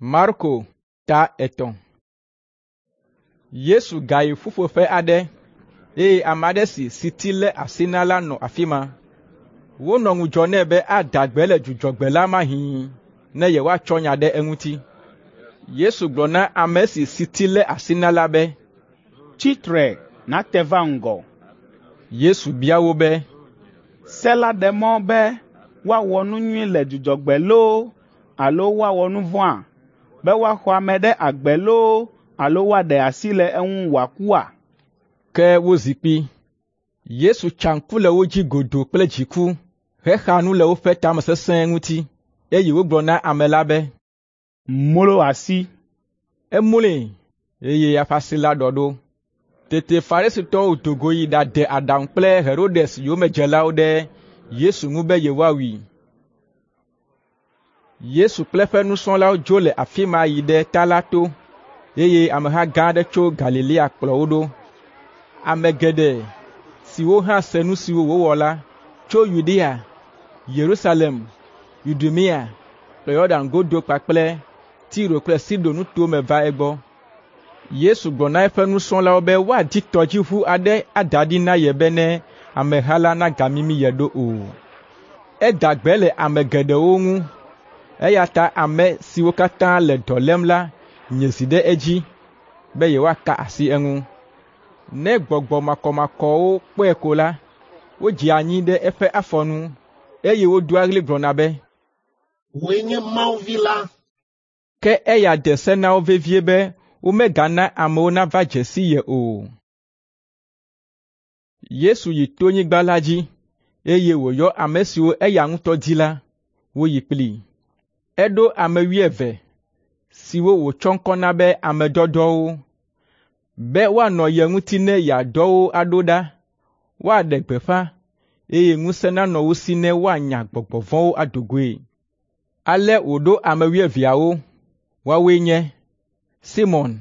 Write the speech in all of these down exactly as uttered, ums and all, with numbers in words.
Marko ta etɔ̃. Yesu gayi ƒuƒoƒe aɖe eye ame aɖe si siti lé asi na la nɔ afi ma. Wonɔ ŋudzɔ nɛ be ada gbe le Dzudzɔgbe la mahĩ ne yewoatsɔ nya ɖe eŋuti. Yesu gblɔ na ame si siti lé asi na la be, “Tsi tre nàte va ŋgɔ.” Yesu bia wo be, “Se la ɖe mɔ be woawɔ nu nyui le Dzudzɔgbe loo alo woawɔ nu vɔ̃a? Be woaxɔ ame ɖe agbe loo alo woaɖe asi le eŋu wòakua?” Ke wozi kpi. Yesu tsa ŋku le wo dzi godoo kple dziku hexa nu le woƒe tamesesẽ ŋuti, eye wògblɔ na ame la be, “Mlo asi.” Emloe, eye eƒe asi la ɖɔ ɖo. Tete Farisitɔwo do go yi ɖade aɖaŋu kple Herodes yomedzelawo ɖe Yesu ŋu be yewoawui. Yesu kple eƒe nusrɔ̃lawo dzo le afi ma yi ɖe ta la to, eye ameha gã aɖe tso Galilea kplɔ wo ɖo. Ame geɖe siwo hã se nu siwo wòwɔ la tso Yudea, Yerusalem, Idumea kple Yɔdan godo kpakple Tiro kple Sidon nutowo me va egbɔ. Yesu gblɔ na eƒe nusrɔ̃lawo be woadi tɔdziʋu aɖe ada ɖi na ye bene ameha la nagamimi ye ɖo o. Eda gbe le ame geɖewo ŋu, eya ta ame siwo katã le dɔ lém la nye zi ɖe edzi be yewoaka asi eŋu. Ne gbɔgbɔ makɔmakɔwo kpɔe ko la, wodzea anyi ɖe eƒe afɔ nu, eye wodoa ɣli gblɔna be, “Wòe nye Mawu Vi la.” Ke eya de se na wo vevie be womegana amewo nava dze si ye o. Yesu yi tonyigba la dzi, eye wòyɔ ame siwo eya ŋutɔ di la, woyi kplii. Eɖo ame wuieve siwo wòtsɔ ŋkɔ na be ame dɔdɔwo, be woanɔ ye ŋuti ne yeadɔ wo aɖo ɖa, woaɖe gbeƒã, eye ŋusẽ nanɔ wo si ne woanya gbɔgbɔ vɔ̃wo ado goe. Ale wòɖo ame wuieveawo. Woawoe nye: Simɔn,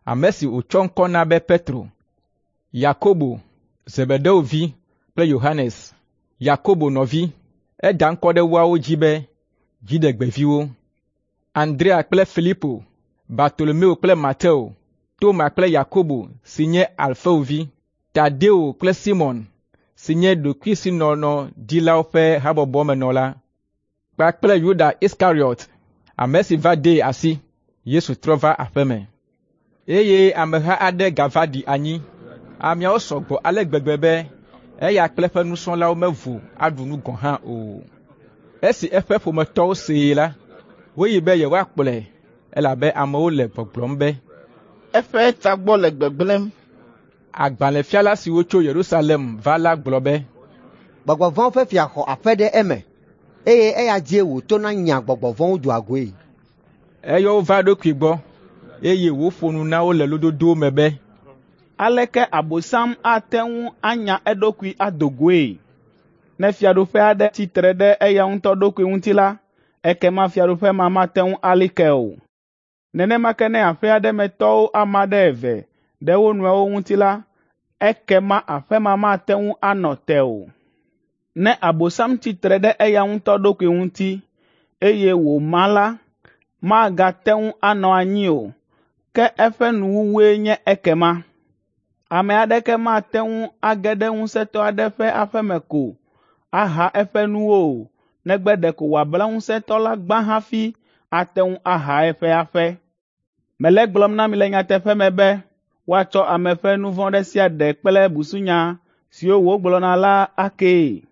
ame si wòtsɔ ŋkɔ na be Petro, Yakobo, Zebedeo vi kple Yohanes, Yakobo nɔvi. Eda ŋkɔ ɖe woawo dzi be Dziɖegbeviwo. Andrea kple Filipo, Bartolomeo kple Mateo, Toma kple Yakobo si nye Alfeo vi, Tadeo kple Simɔn si nye ɖokuisinɔnɔdilawo ƒe habɔbɔmenɔla, kpakple Yuda Iskariɔt, ame si va dee asi. Yesu trɔ va aƒe me, eye ameha aɖe gava ɖi anyi. Ameawo sɔ gbɔ ale gbegbe be eya kple eƒe nusrɔ̃lawo mevo aɖu nu gɔ̃ hã o. Esi eƒe ƒometɔwo see la, woyi be yewoakplɔe, elabe amewo le gbɔgblɔm be, “Eƒe tagbɔ le gbegblẽm.” Agbalẽfiala siwo tso Yerusalem va la gblɔ be, “Gbɔgbɔ vɔ̃wo ƒe fia xɔ aƒe ɖe eme, eye eya dzie wòtona nya gbɔgbɔ vɔ̃wo doa goe.” Eyɔ wo va eɖokui gbɔ, eye wòƒo nu na wo le lododowo me be, “Aleke Abosam ate ŋu anya eɖokui ado goe? Ne fiaɖuƒe aɖe tsi tre ɖe eya ŋutɔ ɖokui ŋuti la, ekema fiaɖuƒe ma mate ŋu ali ke o. Nenema ke ne aƒe aɖe me tɔwo ama ɖe eve ɖe wo nɔewo ŋuti la, ekema aƒe ma mate ŋu anɔ te o. Ne Abosam tsi tre ɖe eya ŋutɔ ɖokui ŋuti, eye wòma la, magate ŋu anɔ anyi o, ke eƒe nuwuwue nye ekema. Ame aɖeke mate ŋu age ɖe ŋusẽtɔ aɖe ƒe aƒe me ko aha eƒe nuwo o, negbe ɖeko wòabla ŋusẽtɔ la gbã hafi ate ŋu aha eƒe aƒe. Mele egblɔm na mi le nyateƒe me be woatsɔ ame ƒe nu vɔ̃ ɖe sia ɖe kple busunya siwo wògblɔna la akee.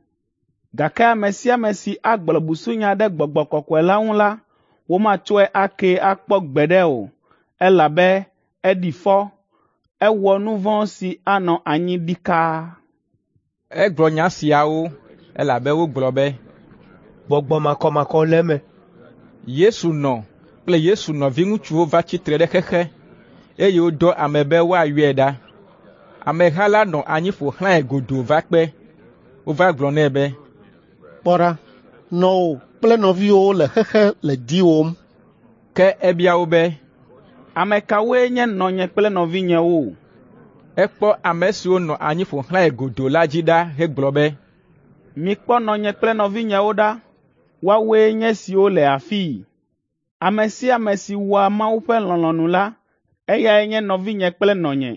Gake ame sia ame si agblɔ busunya ɖe Gbɔgbɔ Kɔkɔe la ŋu la, womatsɔe akee akpɔ gbeɖe o, elabe eɖi fɔ, ewɔ nu vɔ̃ si anɔ anyi ɖikaa.” Egblɔ nya siawo elabe wogblɔ be, “Gbɔgbɔ makɔmakɔ le eme.” Yesu nɔ kple Yesu nɔviŋutsuwo va tsi tre ɖe xexe, eye wodɔ ame be woayɔe ɖa. Ameha la nɔ anyi ƒo xlãe godoo va kpe. Wova gblɔ nɛ be, “Kpɔ ɖa, nɔwò kple nɔviwòwo le xexe le diwòm.” Ke ebia wo be, “Ame kawoe nye nɔnye kple nɔvinyewo?” Ekpɔ ame siwo nɔ anyi ƒo xlãe godoo la dzi ɖa hegblɔ be, “Mikpɔ nɔnye kple nɔvinyewo ɖa. Woawoe nye esiwo le afii. Ame sia ame si wɔa Mawu ƒe lɔlɔ̃nu la, eyae nye nɔvinye kple nɔnye.